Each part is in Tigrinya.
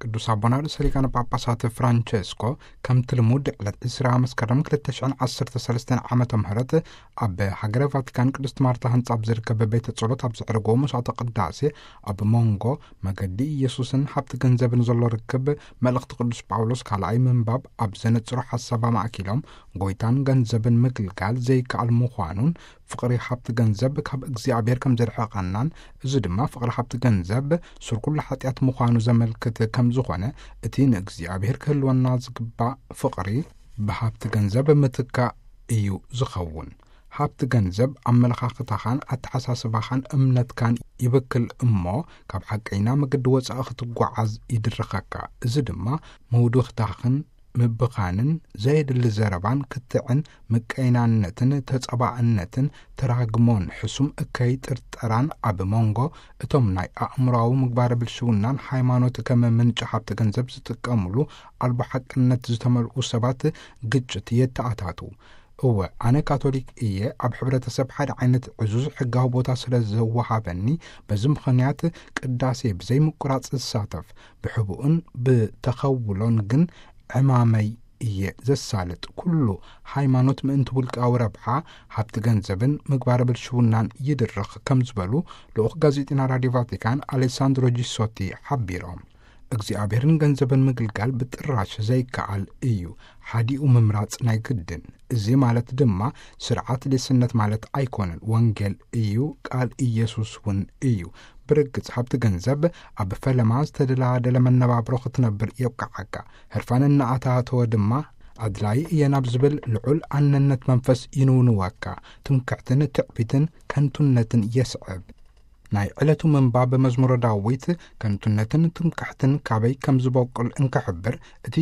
ቅዱስ ኣቦና ርእሰ ሊቃነ ጳጳሳት ፍራንቸስኮ፣ ከምቲ ልሙድ ዕለት ዕስራ መስከረም ክልተ ሽሕን ዓሰርተ ሰለስተን ዓመተ ምህረት ኣብ ሃገረ ቫቲካን ቅድስት ማርታ ህንጻ ኣብ ዝርከብ ቤተ ጸሎት ኣብ ዘዕረጎ መስዋዕተ ቅዳሴ፣ ኣብ መንጎ መገዲ ኢየሱስን ሃብቲ ገንዘብን ዘሎ ርክብ፣ መልእኽቲ ቅዱስ ጳውሎስ ካልኣይ ምንባብ ኣብ ዘነጽሮ ሓሳብ ኣማእኪሎም፣ ጎይታን ገንዘብን ምግልጋል ዘይከኣል ምዃኑን፣ ፍቕሪ ሃብቲ ገንዘብ ካብ እግዚኣብሔር ከም ዘርሕቐናን፣ እዚ ድማ ፍቕሪ ሃብቲ ገንዘብ ሱር ኩሉ ሓጢኣት ምዃኑ ዘመልክት ከም ዝኾነ፣ እቲ ንእግዚኣብሔር ክህልወና ዝግባእ ፍቕሪ ብሃብቲ ገንዘብ ምትካእ እዩ ዝኸውን። ሃብቲ ገንዘብ ኣመለኻኽታኻን ኣተሓሳስባኻን እምነትካን ይብክል እሞ፣ ካብ ሓቀይና መገዲ ወጻኢ ክትጓዓዝ ይድርኸካ። እዚ ድማ ምውድኽታኽን ምብኻንን፣ ዘየድሊ ዘረባን ክትዕን፣ ምቀይናነትን ተጸባእነትን፣ ተራግሞን ሕሱም እከይ ጥርጠራን ኣብ መንጎ እቶም ናይ ኣእምሮኣዊ ምግባረ ብልሽውናን ሃይማኖት ከም ምንጪ ሃብቲ ገንዘብ ዝጥቀምሉ ኣልቦ ሓቅነት ዝተመልኡ ሰባት ግጭት የተኣታቱ። እወ፣ ኣነ ካቶሊክ እየ፣ ኣብ ሕብረተሰብ ሓደ ዓይነት ዕዙዝ ሕጋዊ ቦታ ስለ ዘወሃበኒ፣ በዚ ምኽንያት ቅዳሴ ብዘይ ምቁራጽ ዝሳተፍ፣ ብሕቡእን ብተኸውሎን ግን ዕማመይ እየ ዘሳልጥ። ኩሉ ሃይማኖት ምእንቲ ውልቃዊ ረብሓ፣ ሃብቲ ገንዘብን ምግባረ ብልሽውናን ይድርኽ ከም ዝበሉ ልኡኽ ጋዜጢና ራዲዮ ቫቲካን ኣሌሳንድሮ ጂሶቲ ሓቢሮም። እግዚኣብሔርን ገንዘብን ምግልጋል ብጥራሽ ዘይከኣል እዩ። ሓዲኡ ምምራጽ ናይ ግድን። እዚ ማለት ድማ ስርዓት ሌስነት ማለት ኣይኮነን። ወንጌል እዩ፣ ቃል ኢየሱስ እውን እዩ። ብርግጽ ሃብቲ ገንዘብ ኣብ ፈለማ ዝተደላደለ መነባብሮ ክትነብር የብቅዓካ። ህርፋን እናኣታተወ ድማ ኣድላይ እየ ናብ ዝብል ልዑል ኣነነት መንፈስ ይንውንወካ። ትምክሕትን ትዕቢትን ከንቱነትን የስዕብ። ናይ ዕለቱ ምንባብ መዝሙረ ዳዊት ከንቱነትን ትምክሕትን ካበይ ከም ዝበቁል እንክሕብር፣ እቲ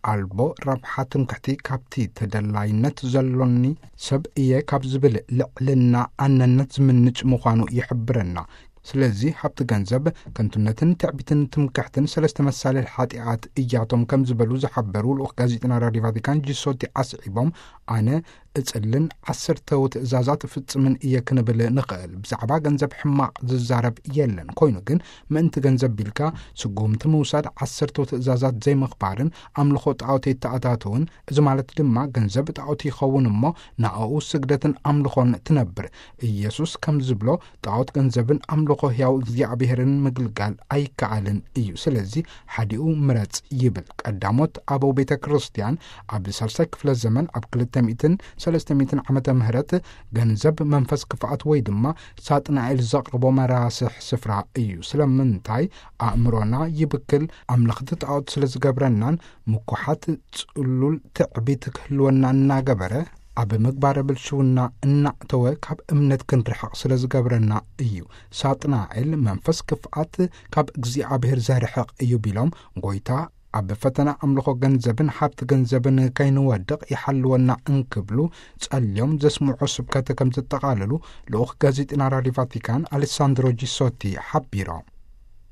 ኣልቦ ረብሓ ትምክሕቲ ካብቲ ተደላይነት ዘሎኒ ሰብ እየ ካብ ዝብል ልዕልና ኣነነት ዝምንጭ ምዃኑ ይሕብረና። ስለዚ ሃብቲ ገንዘብ ከንቱነትን ትዕቢትን ትምክሕትን ሰለስተ መሳልል ሓጢኣት እያቶም ከም ዝበሉ ዝሓበሩ ልኡኽ ጋዜጠና ራዲዮ ቫቲካን ጂሶቲ ኣስዒቦም፣ ኣነ እጽልን ዓሰርተው ትእዛዛት እፍጽምን እየ ክንብል ንኽእል። ብዛዕባ ገንዘብ ሕማቕ ዝዛረብ የለን። ኮይኑ ግን ምእንቲ ገንዘብ ቢልካ ስጉምቲ ምውሳድ ዓሰርተው ትእዛዛት ዘይምኽባርን ኣምልኾ ጣዖት የተኣታትውን፣ እዚ ማለት ድማ ገንዘብ ጣዖት ይኸውን እሞ ንኣኡ ስግደትን ኣምልኾን ትነብር። ኢየሱስ ከም ዝብሎ ጣዖት ገንዘብን ኣምልኾ ሕያው እግዚኣብሔርን ምግልጋል ኣይከኣልን እዩ። ስለዚ ሓዲኡ ምረጽ ይብል። ቀዳሞት ኣበው ቤተ ክርስቲያን ኣብ ሳልሳይ ክፍለ ዘመን ኣብ ክልተ ሚእትን ሰለስተ ሚእትን ዓመተ ምህረት ገንዘብ መንፈስ ክፍኣት ወይ ድማ ሳጥናኤል ዘቕርቦ መራስሕ ስፍራ እዩ። ስለምንታይ ኣእምሮና ይብክል፣ ኣምለኽቲ ጣዖት ስለ ዝገብረናን ምኩሓት ጽሉል ትዕቢት ክህልወና እናገበረ ኣብ ምግባረ ብልሽውና እናእተወ ካብ እምነት ክንርሕቕ ስለ ዝገብረና እዩ። ሳጥናኤል መንፈስ ክፍኣት ካብ እግዚኣብሔር ዘርሕቕ እዩ ቢሎም፣ ጎይታ ኣብ ፈተና ኣምልኾ ገንዘብን ሃብቲ ገንዘብን ከይንወድቕ ይሓልወና እንክብሉ ጸልዮም ዘስምዖ ስብከት ከም ዘጠቓለሉ ልኡኽ ጋዜጠና ራዲዮ ቫቲካን ኣሌሳንድሮ ጂሶቲ ሓቢሮም።